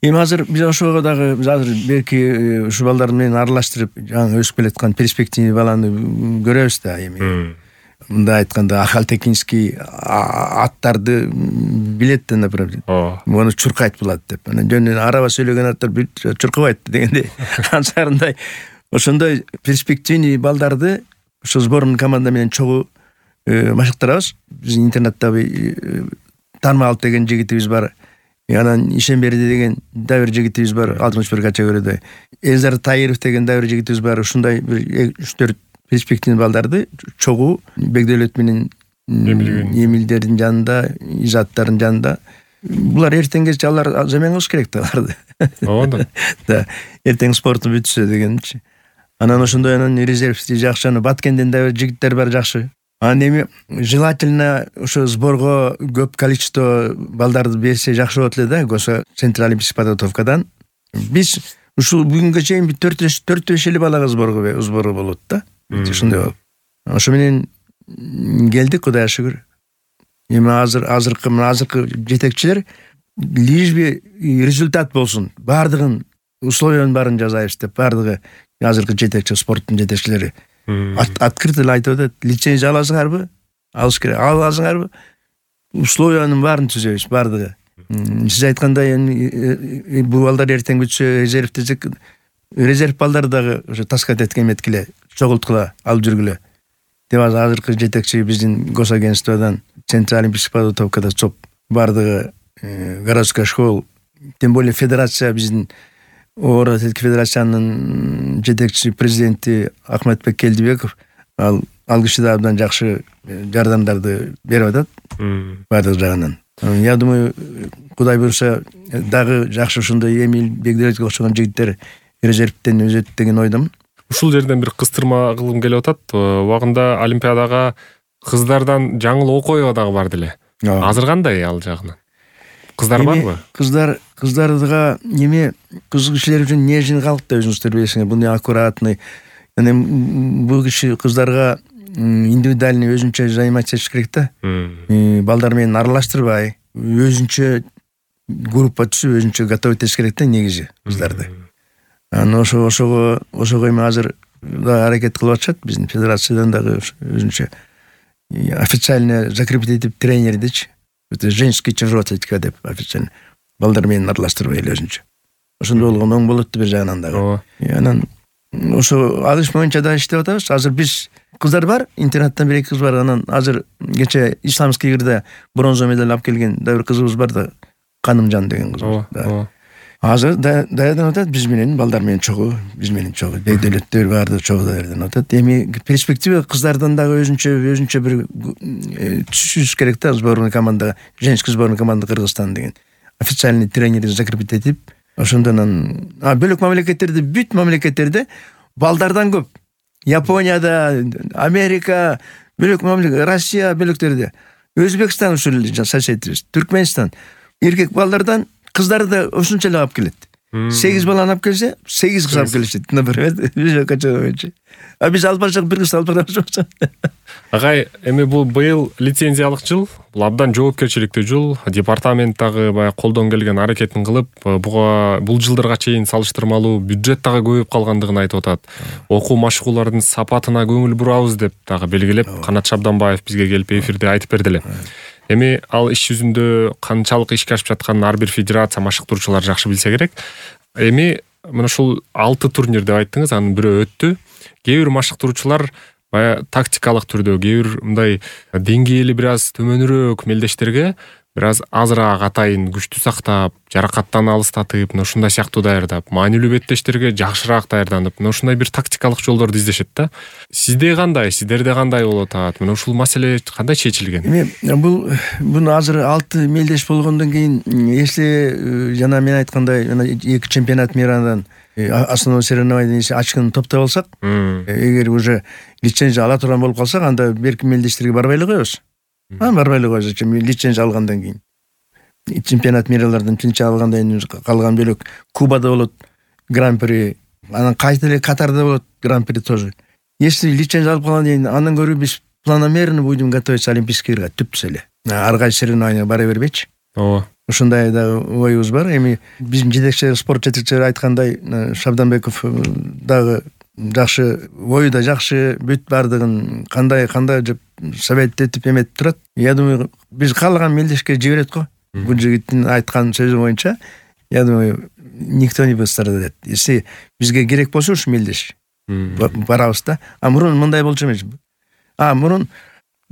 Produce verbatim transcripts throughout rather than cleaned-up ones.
Эми азыр биз ошого дагы биз азыр берки ушул балдар менен аралаштырып жаңы өсүп келаткан перспективный баланы көрөбүз да. Эми мындай айтканда Ахалтекинский аттарды билет да, например. Муну чуркайт булат деп. Анан жөн араба сүйлөгөн аттар чуркабайт дегендей. Ансарындай ошондой перспективный балдарды ошо сборный команда менен чогуу машыктырабыз. Биздин интернатта Тармаалт деген жигитибиз бар. Анан Ишемберди деген да бир жигитибиз бар, алтымыш бир категорияда. Элзар Таиров деген да бир жигитибиз бар. Ушундай бир үч төрт перспективный балдарды чогуу Бекдөлөт менен Эмилдердин жанында, Изаттардын жанында. Булар эртеңгече алар замен кылыш керек да аларды. Ооба. Да, эртең спорту бүтсө дегенчи. Анан ошондой анан резервти жакшы, аны Баткенден да бир жигиттер бар жакшы. Анан эми желательно ошо сборго көп количество балдарды берсе жакшы болот эле да, Госо Центральный олимпийский подготовкадан. Биз ушул бүгүнгө чейин төрт беш эле балага сборго сборго болот да. Ошондой болуп. Ошо менен келдик, Кудайга шүгүр. Эми азыр азыркы мына азыркы жетекчилер лишь бы результат болсун, бардыгын условиянын баарын жасайбыз деп бардыгы азыркы жетекчи спорттун жетекчилери открыто эле айтып атат. Лицензия аласыңарбы? Алыш керек. Аласыңарбы? Условиянын баарын түзөбүз бардыгы. Сиз айткандай эми бул балдар эртең бүтсө резерв десек, резерв балдар дагы ошо таскат эткен меткиле, чогулткула, алып жүргүлө. Деп азыркы жетекчи биздин госагентстводан Центральный олимпийский подготовкада чоп бардыгы городской школ, тем более федерация биздин оор атлетика федерациянын жетекчиси президенти Ахметбек Келдибеков ал ал киши да абдан жакшы жардамдарды берип атат бардык жагынан. Я думаю, Кудай буйруса дагы жакшы ушундай Эмил Бекдөлөткө окшогон жигиттер резервден өзөт деген ойдомун. Ушул жерден бир кыстырма кылгым келип атат. Убагында Олимпиадага кыздардан жаңыл окуя дагы барды эле. Азыр кандай ал жагынан? Кыздар барбы? Кыздар кыздардыга неме кыз кишилер үчүн нежный калк да өзүңүздөр билесиңер. Бул аккуратный. Эми бул киши кыздарга индивидуальный өзүнчө заниматься этиш керек да. Балдар менен аралаштырбай, өзүнчө группа түзүп, өзүнчө готовить этиш керек да негизи кыздарды. Анан ошо ошого ошого эми азыр да аракет кылып атышат биздин федерациядан дагы өзүнчө официально закрепить этип тренер дечи. Это женский чужой атлетика деп официально балдар менен аралаштырбай эле өзүнчө. Ошондой болгондо оң болот бир жагынан дагы. Анан ошо алыш боюнча да иштеп атабыз. Азыр биз кыздар бар, интернаттан бир эки кыз бар. Анан азыр кече исламский игрде бронза медаль алып келген да бир кызыбыз бар да, Канымжан деген кыз. Азыр даярданып атат биз менен, балдар менен чогуу, биз менен чогуу, Бекдөлөттөр барды чогуу даярданып атат. Эми перспектива кыздардан дагы өзүнчө өзүнчө бир түшүш керек да, сборный команда, женский сборный команда Кыргызстан деген. Официальный тренерди закрепить этип, ошондон а бөлөк мамлекеттерде, бүт мамлекеттерде балдардан көп. Японияда, Америка, бөлөк мамлекет, Россия бөлөктөрдө, Өзбекстан ушул соседибиз, Түркмөнстан эркек балдардан кыздарды да ошончо эле алып келет. сегиз баланы алып келсе, сегиз кыз алып келишет, например. А биз алып барсак бир кыз алып барабыз. Агай, эми бул быйыл лицензиялык жыл, бул абдан жоопкерчиликтүү жыл. Департамент дагы баягы колдон келген аракетин кылып, буга бул жылдарга чейин салыштырмалуу бюджет дагы көбөйүп калгандыгын айтып атат. Окуу машыгуулардын сапатына көңүл бурабыз деп дагы белгилеп, Канат Шабданбаев бизге келип эфирде айтып берди эле. Эми ал иш жүзүндө канчалык ишке ашып жатканын ар бир федерация, машыктыруучулар жакшы билсе керек. Эми мына ушул алты турнир деп айттыңыз, анын бирөө өттү. Кээ бир машыктыруучулар баягы тактикалык түрдө, кээ бир мындай деңгээли бир аз төмөнүрөөк мелдештерге бир аз азыраак атайын күчтүү сактап, жаракаттан алыстатып, мына ушундай сыяктуу даярдап, маанилүү беттештерге жакшыраак даярданып, мына ушундай бир тактикалык жолдорду издешет да. Сизде кандай, сиздерде кандай болуп атат? Мына ушул маселе кандай чечилген? Эми бул буну азыр алты мелдеш болгондон кийин, если жана мен айткандай, жана эки чемпионат мирадан основной соревнованияны ачкын топтоп алсак, эгер уже лицензия ала турган болуп калсак, анда берки мелдештерге барбай эле коебуз. А барбай эле коебуз, лицензия алгандан кийин. Чемпионат миралардан лицензия алгандан кийин калган бөлөк Кубада болот гран-при, анан кайта эле Катарда болот гран-при тоже. Если лицензия алып калгандан кийин андан көрө биз планомерно будем готовиться олимпийский игрга түптүс эле. Ар кайсы соревнованияга бара бербейчи. Ооба. ушундай дагы оюбуз бар. Эми биздин жетекчилер, спорт жетекчилери айткандай, Шабданбеков дагы жакшы ою да жакшы, бүт бардыгын кандай кандай деп совет этип эметип турат. Я думаю, биз каалаган мелдешке жиберет го. Бул жигиттин айткан сөзү боюнча, я думаю, никто не пострадает. Если бизге керек болсо ушу мелдеш барабыз да. А мурун мындай болчу эмес. А мурун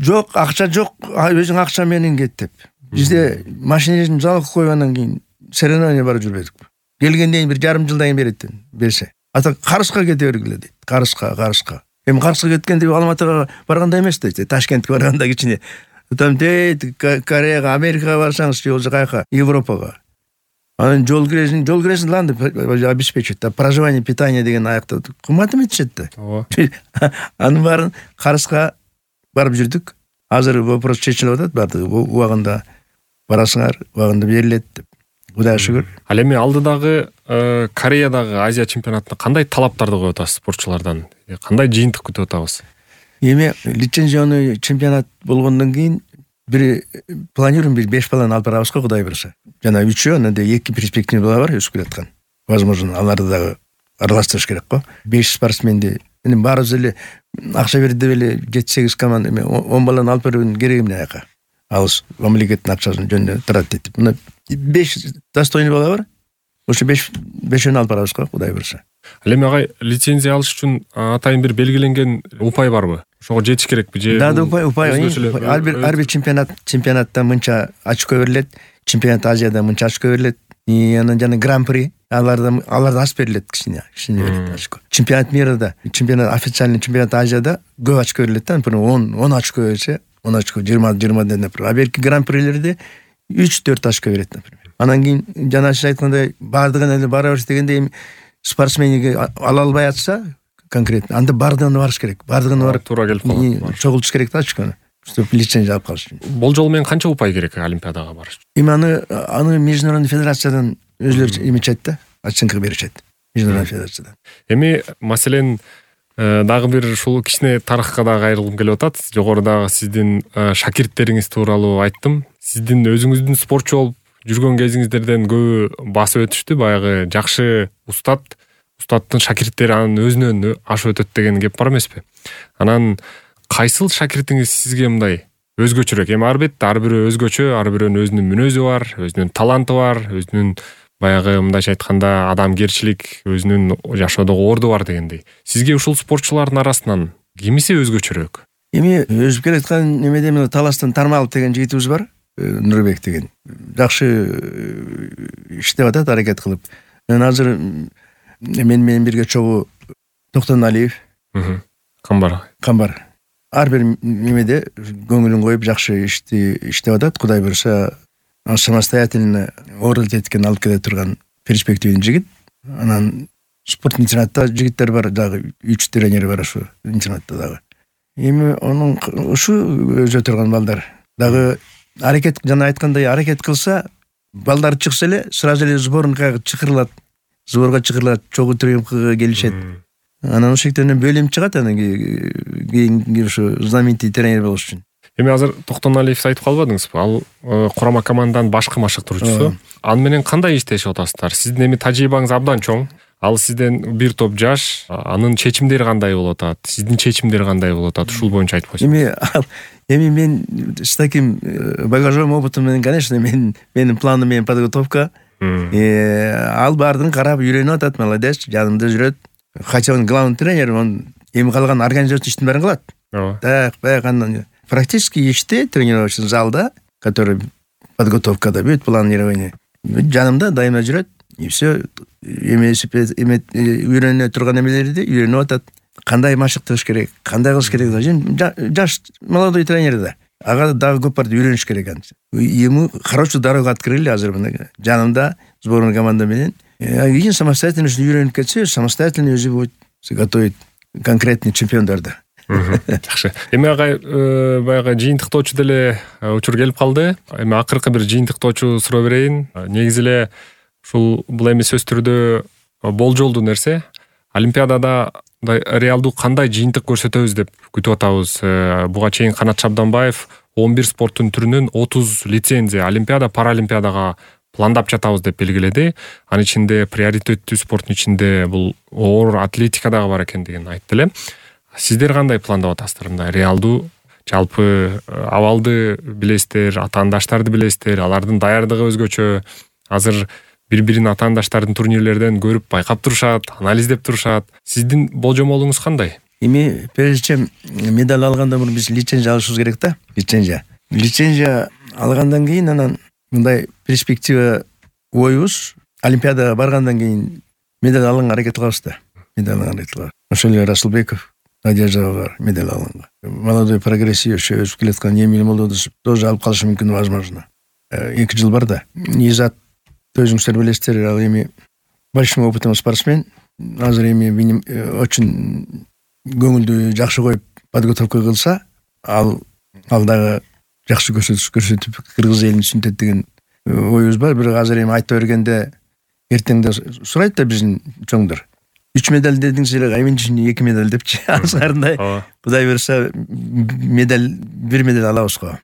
жок, акча жок, өзүң акча менен кет деп. Бизде машиненин залог койгондон кийин соревнование барып жүрбөдүк. Келгенден бир жарым жылдан кийин берет берсе. Ата Карышка кете бергиле дейт. Карышка, Карышка. Эми Карышка кеткенде Алматыга барганда эмес дейт. Ташкентке барганда кичине. Там дейт, Кореяга, Америкага барсаңыз, же болбосо каяка, Европага. Анан жол киресиң, жол киресиң лан деп обеспечивать. Проживание, питание деген аякта кымбат эметишет да. Ооба. Анын баарын Карышка барып жүрдүк. Азыр вопрос чечилип атат, бардыгы убагында барасыңар, убагында берилет деп. Кудайга шүгүр. Ал эми алдыдагы Кореядагы Азия чемпионатына кандай талаптарды коюп атасыз спортчулардан? Кандай жыйынтык күтүп атабыз? Эми лицензионный чемпионат болгондон кийин бир планируем бир беш баланы алып барабыз го, Кудай буйруса. Жана үчөө, анан эки перспектива бала бар өсүп келаткан. Возможно, аларды дагы аралаштырыш керек го. беш спортсменди эми баарыбыз эле акча берди деп эле жети сегиз команда эми он баланы алып берүүнүн кереги эмне аяка? Алыс мамлекеттин акчасын жөнүндө турат деп. Мына беш достойный бала бар. Ошо беш бешөөнү алып барабыз го, Кудай буйруса. Ал эми агай лицензия алыш үчүн атайын бир белгиленген упай барбы? Ошого жетиш керекпи же? Да, да, упай, упай. Ар бир ар бир чемпионат чемпионатта мынча очко берилет, чемпионат Азияда мынча очко берилет. И анан жана гран-при аларда аларда аз берилет, кичине, кичине берилет очко. Чемпионат мирда, чемпионат официальный чемпионат Азияда көп очко берилет да, например, он он очко берсе, он очко, жыйырма жыйырма деп, например. А берки гран-прилерде үч төрт очко берет, например. Анан кийин жана сиз айткандай бардыгын эле бара бериш дегенде эми спортсмениге ала албай атса конкретно, анда бардыгына барыш керек. Бардыгына барып туура келип калат. Чогултуш керек да очкону. Чтоб лицензия алып калыш үчүн. Болжол менен канча упай керек Олимпиадага барыш үчүн? Эми аны аны международный федерациядан өзлөрү эметишет да, оценка беришет. Международный федерациядан. Эми маселен дагы бир ушул кичине тарыхка дагы кайрылгым келип атат. Жогорудагы сиздин шакирттериңиз тууралуу айттым. Сиздин өзүңүздүн спортчу болуп жүргөн кезиңиздерден көбү басып өтүштү. Баягы жакшы устат, устаттын шакирттери анын өзүнөн ашып өтөт деген кеп бар эмеспи? Анан кайсыл шакиртиңиз сизге мындай өзгөчөрөөк? Эми албетте ар бирөө өзгөчө, ар бирөөнүн өзүнүн мүнөзү бар, өзүнүн таланты бар, өзүнүн баягы мындайча айтканда адамгерчилик, өзүнүн жашоодогу орду бар дегендей. Сизге ушул спортчулардын арасынан кимиси өзгөчөрөөк? Эми өсүп келаткан немеде мына Таластан Тармалов деген жигитибиз бар, Нурбек деген. Жакшы иштеп атат, аракет кылып. Мен азыр мен менен бирге чогуу Токтоналиев, Камбар. Камбар. Ар бир немеде көңүлүн коюп жакшы ишти иштеп атат. Кудай буйруса, самостоятельно ордут эткен алып келе турган перспективный жигит. Анан спорт интернатта жигиттер бар, дагы үч тренер бар ушу интернатта дагы. Эми анын ушу өзө турган балдар дагы аракет, жана айткандай аракет кылса, балдар чыкса эле сразу эле сборныкка чакырылат. Сборга чакырылат, чогуу тренингге келишет. Анан ошол жерден бөлүм чыгат, анан кийин ушу знаменитый тренер болуш үчүн. Эми азыр Токтоналиевди айтып калбадыңызбы? Ал курама команданын башкы машыктыруучусу. Аны менен кандай иштешип атасыздар? Сиздин эми тажрыйбаңыз абдан чоң. Ал сизден бир топ жаш, анын чечимдери кандай болуп атат? Сиздин чечимдери кандай болуп атат? Ушул боюнча айтып койсоңуз. Эми эми мен с таким багажом, опытом менен, конечно, мен менин планым менен подготовка. Ал баардыгын карап үйрөнүп атат, молодец, жанымда жүрөт. Хотя он главный тренер, он эми калган организация иштин баарын кылат. Так, баягы практически иште тренировочный залда, который подготовкада бүт планирование. Жанымда дайыма жүрөт. И все эмесип үйрөнө турган эмелерди үйрөнүп атат. Кандай машыктырыш керек, кандай кылыш керек. Жаш молодой тренер да. Ага дагы көп бар үйрөнүш керек анча. Ему хорошую дорогу открыли азыр мына. Жанымда сборная команда менен. Кийин самостоятельно үйрөнүп кетсе, самостоятельно өзү будет готовить конкретный чемпиондарды. Жакшы. Эми агай баягы жыйынтыктоочу деле учур келип калды. Эми акыркы бир жыйынтыктоочу суроо берейин. Негизи эле ушул бул эми сөз түрдө болжолдуу нерсе. Олимпиадада реалдуу кандай жыйынтык көрсөтөбүз деп күтүп атабыз. Буга чейин Канат Шабданбаев он бир спорттун түрүнөн отуз лицензия олимпиада, паралимпиадага пландап жатабыз деп белгиледи. Анын ичинде приоритеттүү спорттун ичинде бул оор атлетика дагы бар экендигин айтты эле. Сиздер кандай пландап атасыздар? Мындай реалдуу жалпы абалды билесиздер, атаандаштарды билесиздер, алардын даярдыгы өзгөчө. Азыр бири-бирин атаандаштардын турнирлерден көрүп байкап турушат, анализдеп турушат. Сиздин болжомолуңуз кандай? Эми прежде медаль алгандан мурун биз лицензия алышыбыз керек да. Лицензия. Лицензия алгандан кийин анан мындай перспектива оюбуз олимпиадага баргандан кийин медаль алганга аракет кылабыз да. Медаль алганга аракет кылабыз. Ошол эле Расылбеков, Надежда бар медаль алганга. Молодой прогрессив өсүп келаткан Эмиль Молодов тоже алып калышы мүмкүн, возможно. эки жыл бар да. Изат өзүңүздөр билесиздер, ал эми большим опытым спортсмен. Азыр эми очень көңүлдү жакшы коюп подготовка кылса, ал ал дагы жакшы көрсөтүп кыргыз элин түшүнтөт деген оюбуз бар. Бирок азыр эми айта бергенде эртеңде сурайт да биздин чоңдор. үч медаль дедиңиз эле, эми эки медаль депчи. Азырындай Кудай буюрса медаль, бир медаль алабыз го.